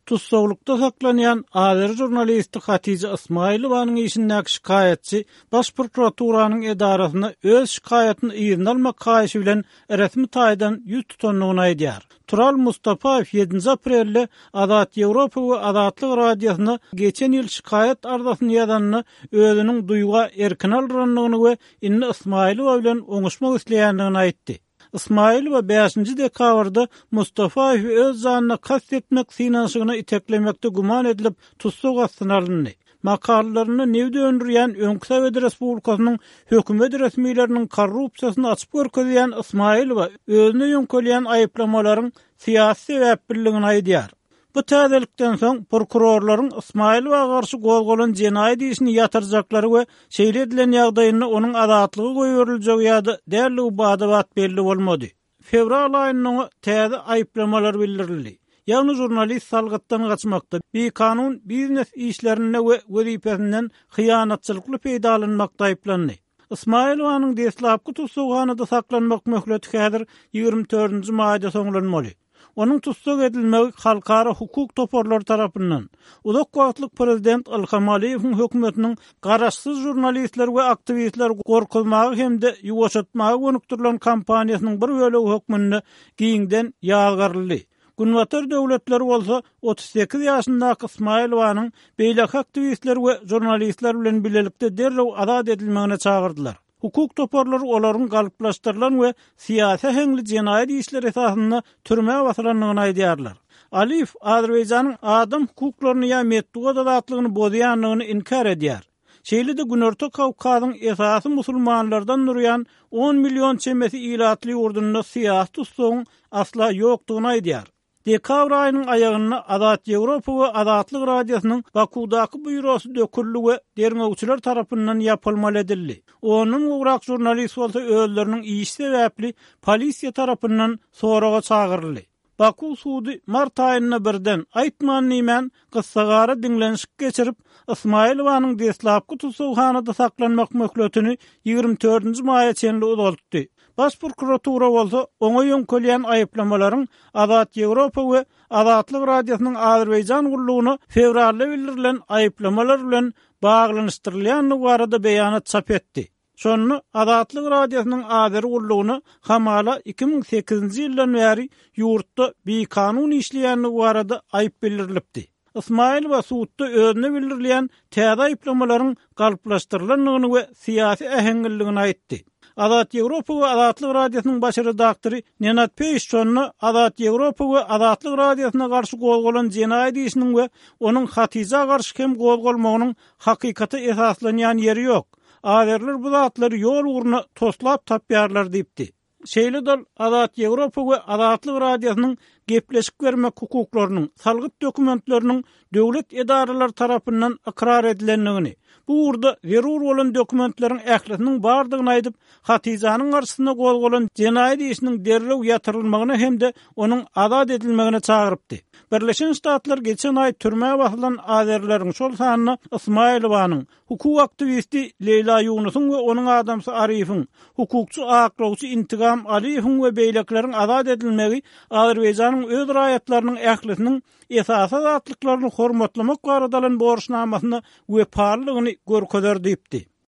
Tussaglykda saklanýan azeri žurnalisti Hatija Ysmaýylowanyň işindäki şikaýatçy Baş prokuraturanyň edarasyna öz şikaýatyny yzyna almak haýyşy bilen resmi taýdan ýüz tutandygyny aýdýar. Tural Mustafaýew ýedinji aprelde Azat Ýewropa we Azatlyk Radiosyna geçen ýyl şikaýat arzasyny ýazanda özüniň duýga erkini aldyrandygyny we indi Ysmaýylowa bilen oňuşmak isleýändigini aýtdy. Ysmaýylowa bäşinji dekabrda Mustafaýewi öz janyna kast etmek synanyşygyna iteklemekde güman edilip, tussag astyna alyndy. Makalalarynda nebit öndürýän öňki Sowet respublikasynyň hökümet resmileriniň korrupsiýasyny açyp görkezýän Ysmaýylowa özüne ýöňkelýän aýyplamalaryň syýasy sebäpliligini aýdýar. Bu täzelikden soň prokurorlaryň Ysmaýylowa garşy gozgalan jenaýat işini ýatyrjaklary we şeýle edilen ýagdaýynda onuň azatlyga goýberiljegi ýa-da däldigi bada-bat belli bolmady. Fewral aýynda oňa täze aýyplamalar bildirildi. Ýagny žurnalist salgytdan gaçmakda, bikanun biznes işlerinde we wezipesinden hyýanatçylykly peýdalanmakda aýyplandy. Ysmaýylowanyň deslapky tussaghanada saklanmak möhleti häzir 24-nji maýda soňlanmaly. Onuň tussag edilmegi halkara hukuk toparlary tarapyndan, uzak wagtlyk prezident Ilham Aliýewiň hökümetiniň garaşsyz žurnalistleri we aktiwistleri gorkuzmaga hem-de ýuwaşatmaga gönükdirilen kampaniýasynyň bir bölegi hökmünde giňden ýazgaryldy. Günbatar döwletleri bolsa 38 ýaşyndaky Ysmaýylowanyň beýleki aktiwistler we žurnalistler bilen bilelikde derrew azat edilmegine çagyrdylar. Hukuk toparlary olaryň galplaşdyrylan we syýasy äheňli jenaýat işleri esasynda türmä basylandygyny aýdýarlar. Aliýew Azerbaýjanyň adam hukuklaryny ýa metbugat azatlygyny bozýandygyny inkär edýär. Şeýle-de Günorta Kawkazyň esasy musulmanlardan durýan on million çemesi ilatly ýurdunda syýasy tussagyň asla ýokdugyny aýdýar. Dekabr aýynyň aýagynda Azat Ýewropa we Azatlyk Radiosynyň Bakuwdaky býurosy döküldi we derňewçiler tarapyndan ýapylmaly edildi. Ondan gowrak žurnalist bolsa özleriniň işi sebäpli polisiýa tarapyndan soraga çagyryldy. Bakuw sudy mart aýynda birden, aýtman-diýmän, gyssagara diňlenişik geçirip, Ysmaýylowanyň deslapky tussaghanada saklanmak möhletini 24-nji maýa çenli uzaltdy. Baş prokuratura bolsa oňa ýöňkelýän aýyplamalaryň Azat Ýewropa we Azatlyk Radiosynyň Azerbaýjan gullugyna fewralda bildirilen aýyplamalar bilen baglanyşdyrylýandygy barada beýanat çap etdi. Şonda Azatlyk Radiosynyň Azeri gullugyna hamala 2008-nji ýyldan bäri ýurtda bikanun işleýändigi barada aýyp bildirilipdi. Ysmaýylowa sudda özüne bildirilýän täze aýyplamalaryň galplaşdyrylandygyny we syýasy äheňliligini aýtdy. Azat Ýewropa we Azatlyk Radiosynyň baş redaktory Nenad Peýiş şonda Azat Ýewropa we Azatlyk Radiosyna garşy gozgalan jenaýat işiniň we onuň Hatyja garşy hem gozgalmagynyň hakykata esaslanýan ýeri ýok. Azerler bu zatlary ýol ugruna toslap tapýarlar diýipdi. Şeýle-de ol Azat Ýewropa we Azatlyk Radiosynyň gepleşik bermek hukuklarynyň, salgyt dokumentleriniň döwlet edaralary tarapyndan ykrar edilendigini, bu ugurda zerur bolan dokumentleriň ählisiniň bardygyny aýdyp, Hatyjanyň garşysyna gozgalan jenaýat işiniň derrew ýatyrylmagyna hem-de onuň azat edilmegine çagyrypdy. Birleşen Ştatlar geçen aý türmä basylan azerileriň, şol sanda Ysmaýylowanyň, Hukuk aktiwisti Leýla Ýunusyň we onuň adamsy Arifiň, hukukçy aklawçy Intigam Aliýewiň we beýlekileriň azat edilmegi Azerbaýjanyň öz raýatlarynyň ählisiniň esasy azatlyklaryny hormatlamak barada alan borçnamasyna wepalylygyny görkezer diýipdi.